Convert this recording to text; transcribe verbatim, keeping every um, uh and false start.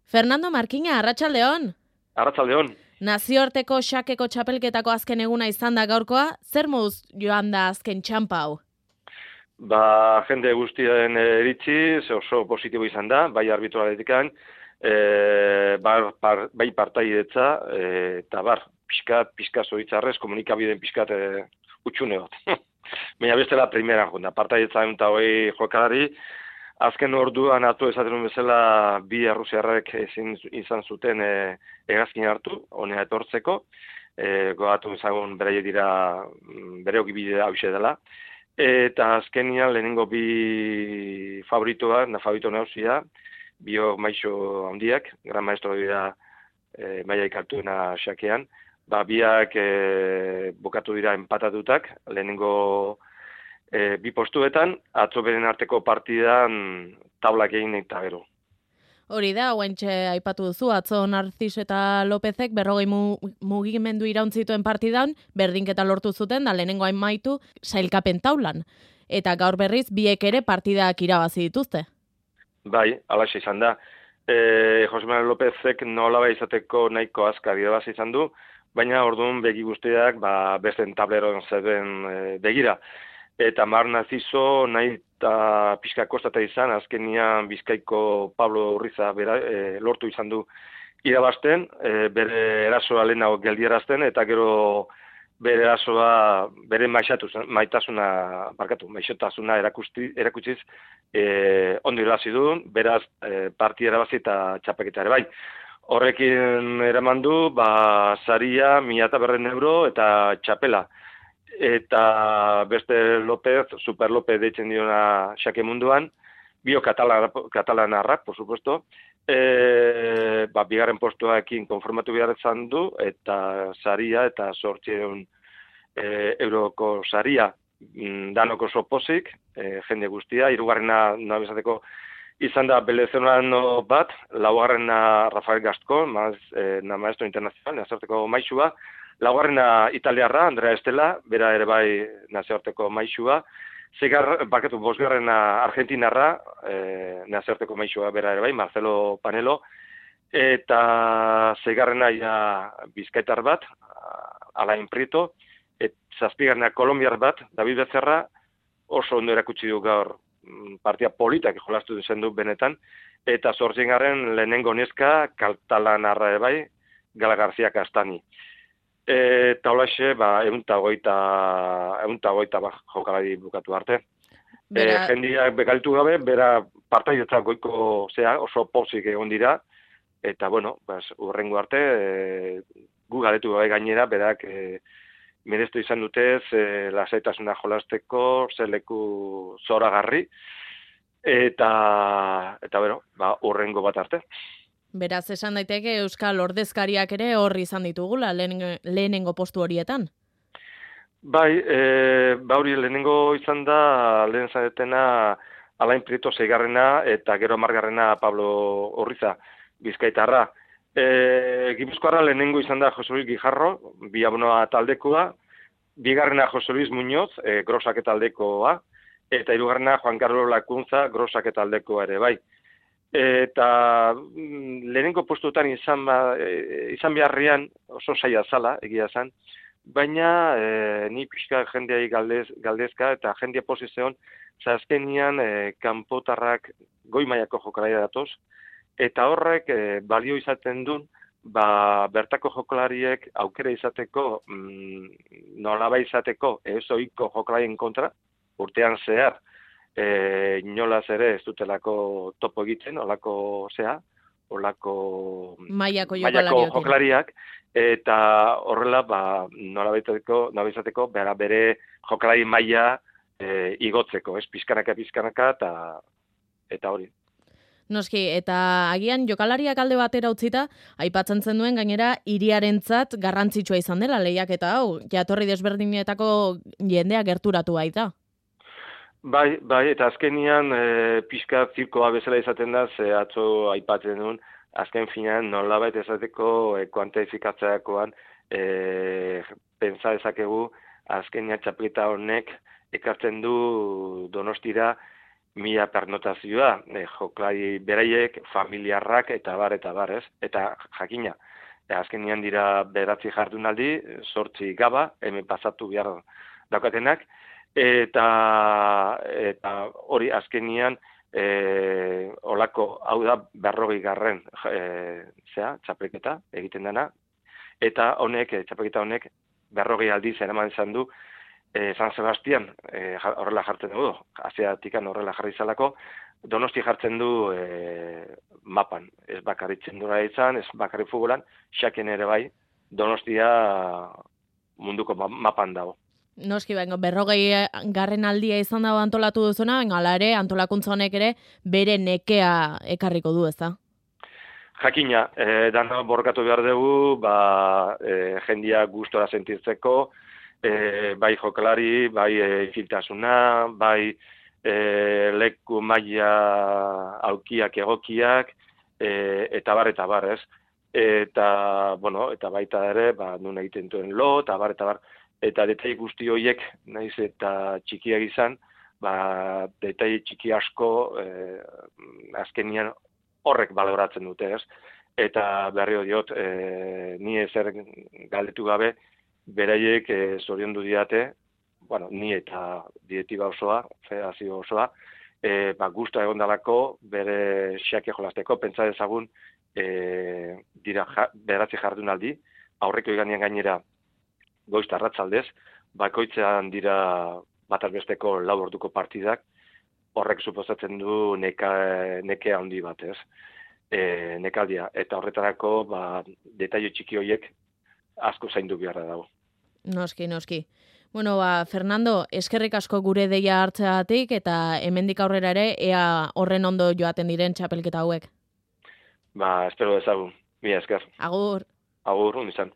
Fernando Markina, arratsaldeon. Arratsaldeon. Nazioarteko xakeko txapelketako azken eguna izan da gaurkoa, zer moduz joan da azken txampa hau? Ba, jende guztien iritzi, oso positibo izan da, bai arbitraletikan, e, bar, par, bai partaidetza, e, eta bar, pixkat, pixkat zoitzarrez, komunikabideen pixkat e, utxune bat. Baina bestela primera jonda, partaidetza eta hoi jokalari, azken orduan atu esaten bezala bi errusiarrek ezin izan zuten e, hegazkin hartu, honea etortzeko, e, goatu ezagun beraie dira bere okibide hause dela, eta azkenian lehenengo bi favoritoa, na favorito nausia, bio maixo handiak, gran maestro dira e, maia ikartuena xakean, ba, biak e, bokatu dira empatatutak, lehenengo E, bi postuetan, atzo beren arteko partidan taulak egin eta gero. Hori da, guaintxe aipatu duzu, atzo Narciso eta Lopezek berrogei mu, mugimendu irauntzituen partidan, berdinketa lortu zuten, da lehenengo amaitu sailkapen taulan. Eta gaur berriz, biek ere partidak irabazi dituzte. Bai, alaxe izan da. E, Jose Manuel Lopezek nolaba izateko nahiko azkar irabazi izan du, baina orduan begi guztiak ba, besten tableroan zeben e, begira. Eta Mar Narciso nahi eta pixka kostata izan, azkenian Bizkaiko Pablo Urriza bera, e, lortu izan du irabazten, e, bere erasoa lehenago geldierazten, eta gero bere erasoa, bere maitasuna, barkatu, maixotasuna erakusti, erakutsiz, e, ondo irabazi du, beraz e, parti erabazi eta txapeketa ere bai. Horrekin eraman du, ba, saria, mila eta berren euro eta txapela. Eta beste López, Super López deitzen diona xake munduan, bio katalanarrak, por supuesto, e, ba, bigarren postuaekin konformatu behar izan du, eta saria eta sortzeun e, euroko saria danoko sopozik, e, jende guztia, hirugarrena nabezateko izan da Belezonano bat, laugarrena Rafael Gascón, maz, e, na maestro internacional, nazarteko maixua, laugarrena italiarra, Andrea Estela, bera ere bai nazioarteko maixua, zegar, bakatu, bosgarrena argentinarra, e, nazioarteko maixua bera ere bai, Marcelo Panelo, eta zegarrena ja bizkaitar bat, Alain Prieto, et zazpigarrena kolombiar bat, David Becerra, oso ondo erakutsi du gaur partia politak jolastu zen du benetan, eta zortzigarren lehenengo neska, katalanarra ere bai, Gala García Castani. Eta holaxe, ba, egunta goita, egunta goita ba, jokalari bukatu arte. Bera... E, jendiak bekalitu gabe, bera partaidetzak goiko zea, oso pozik egon dira, eta, bueno, bas, urrengo arte, e, gu galetu gabe gainera, berak e, mereztu izan dutez, e, lasaitasuna jolasteko, zeleku zoragarri, eta, eta, bueno, ba, urrengo bat arte. Beraz, esan daiteke Euskal ordezkariak ere horri izan ditugula lehenengo, lehenengo postu horietan. Bai, e, ba hori lehenengo izan da lehen zaretena Alain Prieto zeigarrena eta gero margarrena Pablo Urriza bizkaitarra. E, Gipuzkoarra lehenengo izan da Jose Luis Guijarro, bi abonoa taldekoa, bigarrena Jose Luis Muñoz, e, Grosak taldekoa, eta hirugarrena Juan Carlos Lakuntza, Grosak taldekoa ere bai. Eta lehenengo postuetan izan, ba, izan beharrian oso saia zala, egia zen, baina e, ni pixka jendeai galdez, galdezka eta jendea posizioan, zazkenian e, kanpotarrak goi mailako jokalari datoz, eta horrek e, balio izaten duen, ba, bertako jokalariek aukera izateko, mm, nolaba izateko, ez ohiko jokalarien kontra, urtean zehar, E, inolaz ere ez dutelako topo egiten, olako zea, olako mailako jokalariak, eta horrela, ba, nola izateko, bera bere jokalari maila e, igotzeko, ez, pizkanaka, pizkanaka, eta, eta hori. Noski, eta agian jokalariak alde batera utzita, aipatzen zen duen gainera hiriarentzat garrantzitsua izan dela lehiaketa hau, jatorri desberdinetako jendea gerturatu baita. Bai, bai, eta azkenian e, pixka zirkoa bezala izaten da, ze atzo aipatzen duen, azken finean nolabait ezateko e, kuantifikatzeakoan e, pentsa dezakegu azkenian txapelketa honek ekartzen du Donostira mila pernotazioa, e, joklai beraiek, familiarrak eta bar eta bar, ez? Eta jakina, e, azkenian dira beratzi jardunaldi, zortzi gaba, hemen pasatu behar daukatenak, eta eta hori azkenian e, olako, hau da berrogei garren e, zea, txapelketa egiten dena, eta honek, txapelketa honek, berrogei aldiz eraman izan du, E, San Sebastian e, horrela jartzen dugu, Asiatikan horrela jarri izalako, Donosti jartzen du e, mapan, ez bakarrik txendura izan, ez bakarrik futbolan, xaken ere bai, Donostia munduko mapan dago. Noski, bengo, berrogei garren aldia izan dago antolatu duzuna, bengo, ala ere, antolakuntza honek ere, bere nekea ekarriko du, ez da? Jakina, e, dana borkatu behar dugu, ba, e, jendia gustora sentitzeko, E, bai jokalari, bai e, filtasuna, bai e, leku maila aukiak egokiak, e, eta bar, eta bar, ez? Eta, bueno, eta baita ere, ba, nun egiten duen lo, eta bar, eta bar, eta detai guzti horiek, naiz eta txikiak izan, ba, detai txiki asko, e, azkenian horrek baloratzen dute, ez? Eta berri diot, e, ni ezer galdetu gabe, beraiek e, zoriondu diate, bueno, ni eta direktiba osoa, federazio osoa, e, ba, guztua egon dalako, bere xake jolasteko, pentsa dezagun, e, dira ja, beratzi jardunaldi, aurreko iganean gainera goizta arratsaldez, bakoitzean dira bataz besteko lau orduko partidak, horrek suposatzen du neka, nekea handi bat, ez? E, nekaldia, eta horretarako, ba, detaile txiki horiek asko zaindu beharra dago. Noski, noski. Bueno, ba, Fernando, eskerrik asko gure deia hartzeagatik eta hemendik aurrera ere ea horren ondo joaten diren txapelketa hauek. Ba, espero dezagun. Mila esker. Agur. Agur, un izan.